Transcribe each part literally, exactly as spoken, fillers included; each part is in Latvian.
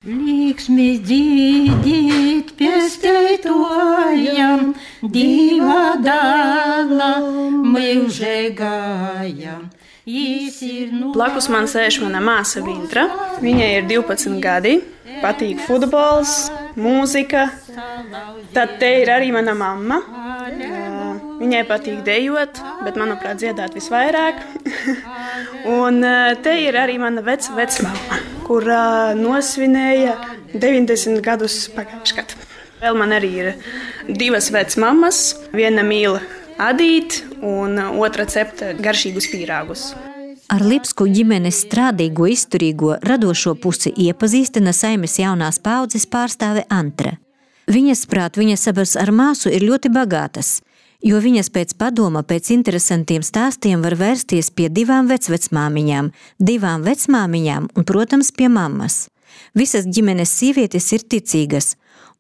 Līksmis dzīdīt piesteitojam, Dīva dāla mūžīgajam. Blakus man sēž mana māsa Vintra. Viņai ir divpadsmit gadi, patīk futbols, mūzika. Tad te ir arī mana mamma. Viņai patīk dejot, bet, manuprāt, dziedāt visvairāk. Un te ir arī mana veca vecmamma, kurā nosvinēja deviņdesmit gadus pagājušajā gadā. Vēl man arī ir divas vecmammas, viena mīl adīt un otra cepta garšīgus pīrāgus. Ar Lipsku ģimenes strādīgo, izturīgo, radošo pusi iepazīstina saimes jaunās paaudzes pārstāve Antra. Viņas prāt, viņas abas ar māsu ir ļoti bagātas, jo viņas pēc padoma, pēc interesantiem stāstiem var vērsties pie divām vecvecmāmiņām, divām vecmāmiņām un, protams, pie mammas. Visas ģimenes sievietes ir ticīgas,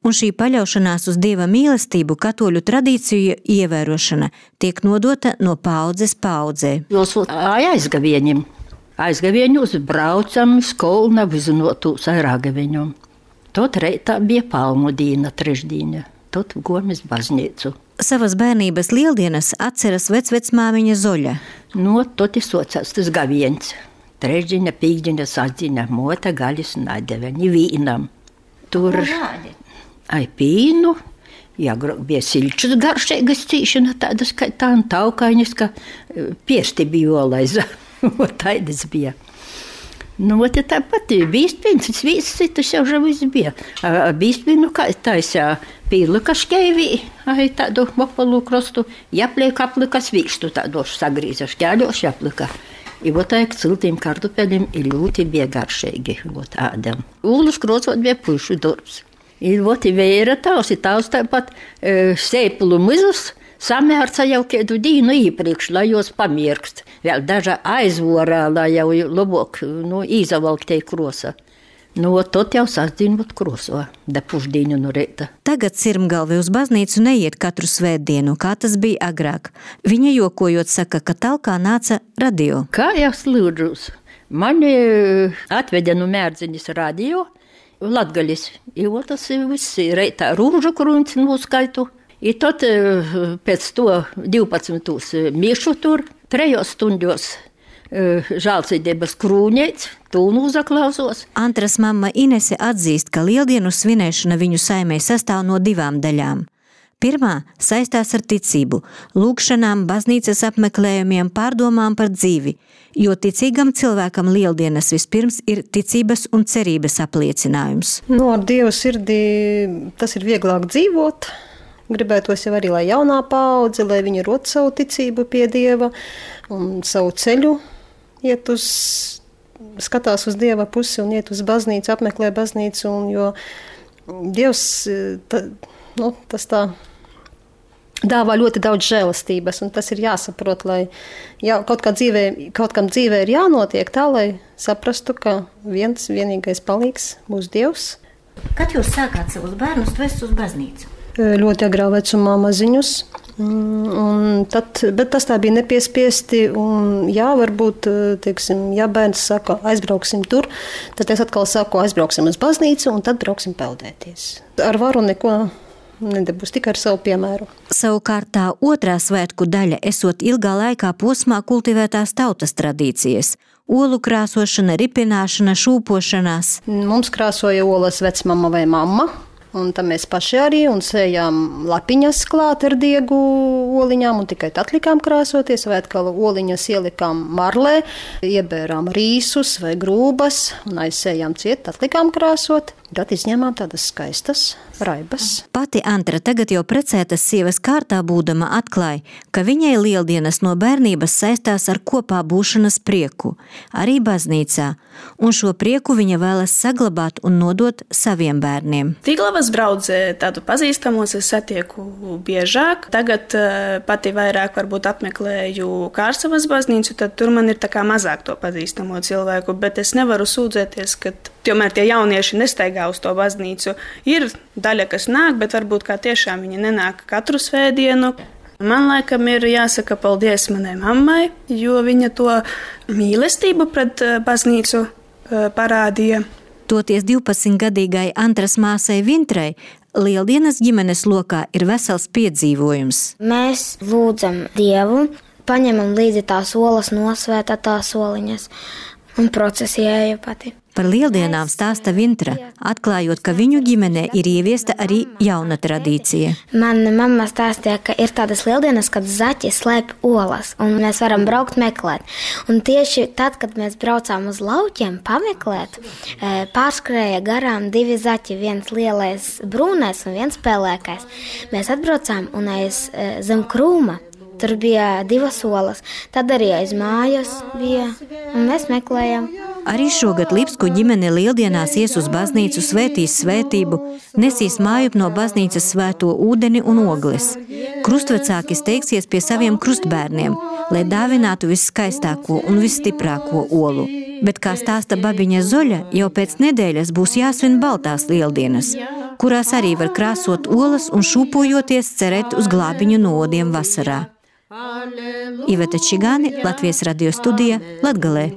un šī paļaušanās uz Dieva mīlestību, katoļu tradīciju ievērošana tiek nodota no paaudzes paaudzē. Jūs aizgavieņiem, aizgavieņus braucam skolna vizinotūs airāgaviņum. Tot reitā bija palmu dīna trešdīņa, tot gomis baznīcu. Savas bērnības lieldienas atceras vecvecmāmiņa Zoļa. No, tot ir sociāls tas gavieņs. Trešdīņa, pīkdīņa, sasdīņa, mota gaļas nadeve, ni vīnam. Tur... Ai pīnu, jāgrok bija silčus garšīgas cīšana, tādas kā tā un taukaiņas, ka piesti bija olaiza. Taidas bija. Nu, te tāpat bīstpīns, viss tas jau viss bija. Bīstpīnu kā taisā pīlika škeivī, ai tādu mopalu krostu, jāpliek aplikas vīkstu tādošu sagrīza, šķēļoši jāplika. I vot aik ciltīm kartupeļiem ir ļoti bija garšīgi, vot ādam. Ūlus krocot bija pušu darbs. Ir voti vēra tavs, ir tavs tāpat e, sēpulu mizus samērca jau kādu dīnu īpriekš, lai jūs pamirkst. Vēl daža aizvorā, lai jau labāk nu, īzavalktei krosa. Nu, tot jau sasdien būt kroso, da pušdīņu no reita. Tagad Sirmgalve uz baznīcu neiet katru svētdienu, kā tas bija agrāk. Viņa jokojot saka, ka talkā nāca radio. Kā jau slūdžus, mani atveda no Mērdziņas radio, Latgaļis, jo tas viss reitā rūžu kruņci noskaitu. I tad pēc to divpadsmitūs miešu tur, trejos stundos žālcīdības krūņeic, tūnu uzaklausos. Antras mamma Inese atzīst, ka lieldienu svinēšana viņu saimē sastāv no divām daļām. Pirmā saistās ar ticību, lūgšanām, baznīcas apmeklējumiem, pārdomām par dzīvi, jo ticīgam cilvēkam lieldienas vispirms ir ticības un cerības apliecinājums. No, ar Dievu sirdī tas ir vieglāk dzīvot. Gribētos jau arī, lai jaunā paudze, lai viņi rod savu ticību pie Dieva un savu ceļu iet uz, skatās uz Dieva pusi un iet uz baznīcu, apmeklē baznīcu, un jo Dievs, ta, nu, tas tā dāvā ļoti daudz žēlastības, un tas ir jāsaprot, lai jā, kaut, kā dzīvē, kaut kam dzīvē ir jānotiek tā, lai saprastu, ka viens vienīgais palīgs būs Dievs. Kad jūs sākāt savus bērnus vest uz baznīcu? Ļoti agrā vecumā maziņus, un tad, bet tas tā bija nepiespiesti, un jā, varbūt, teiksim, ja bērns saka, aizbrauksim tur, tad es atkal saku, aizbrauksim uz baznīcu, un tad brauksim peldēties. Ar varu neko nedabūs, tikai ar savu piemēru. Savukārt tā otrā svētku daļa esot ilgā laikā posmā kultivētās tautas tradīcijas. Olu krāsošana, ripināšana, šūpošanās. Mums krāsoja olas vecmama vai mamma, un tam mēs paši arī, un sējām lapiņas klāt ar diegu oliņām, un tikai tad likām krāsoties, vai atkal oliņas ielikām marlē, iebērām rīsus vai grūbas, un aizsējām ciet, tad likām krāsot. Tad izņēmām tādas skaistas raibas. Pati Antra tagad jau precētas sievas kārtā būdama atklāja, ka viņai lieldienas no bērnības saistās ar kopā būšanas prieku, arī baznīcā, un šo prieku viņa vēlas saglabāt un nodot saviem bērniem. Tiglavas draudzē tādu pazīstamos es satieku biežāk. Tagad pati vairāk varbūt apmeklēju Kārsavas baznīcu, tad tur man ir tā kā mazāk to pazīstamo cilvēku, bet es nevaru sūdzēties, ka tomēr tie jaunieši nestaigā uz to baznīcu. Ir daļa, kas nāk, bet varbūt kā tiešām viņi nenāk katru svētdienu. Man laikam ir jāsaka paldies manai mammai, jo viņa to mīlestību pret baznīcu parādīja. Toties divpadsmitgadīgai Antras māsai Vintrai Lieldienas ģimenes lokā ir vesels piedzīvojums. Mēs lūdzam Dievu, paņemam līdzi tās olas, nosvētā tās soliņas un procesēju pati. Par Lieldienām stāsta Vintra, atklājot, ka viņu ģimenē ir ieviesta arī jauna tradīcija. Mana mamma stāstīja, ka ir tādas Lieldienas, kad zaķi slēp olas, un mēs varam braukt meklēt. Un tieši tad, kad mēs braucām uz laukiem pameklēt, pārskrēja garām divi zaķi, viens lielais brūnais un viens pelēkais. Mēs atbraucām un aiz zem krūma. Tur bija divas olas, tad arī aiz mājas bija, un mēs meklējām. Arī šogad Lipsku ģimene Lieldienās ies uz baznīcu, svētīs svētību, nesīs mājup no baznīcas svēto ūdeni un ogles. Krustvecāki steigsies pie saviem krustbērniem, lai dāvinātu visskaistāko un visstiprāko olu. Bet, kā stāsta babiņa Zoļa, jau pēc nedēļas būs jāsvin baltās Lieldienas, kurās arī var krāsot olas un šūpojoties cerēt uz glābiņu no odiem vasarā. Iveta Čigāni, Latvijas radio studija, Latgalē.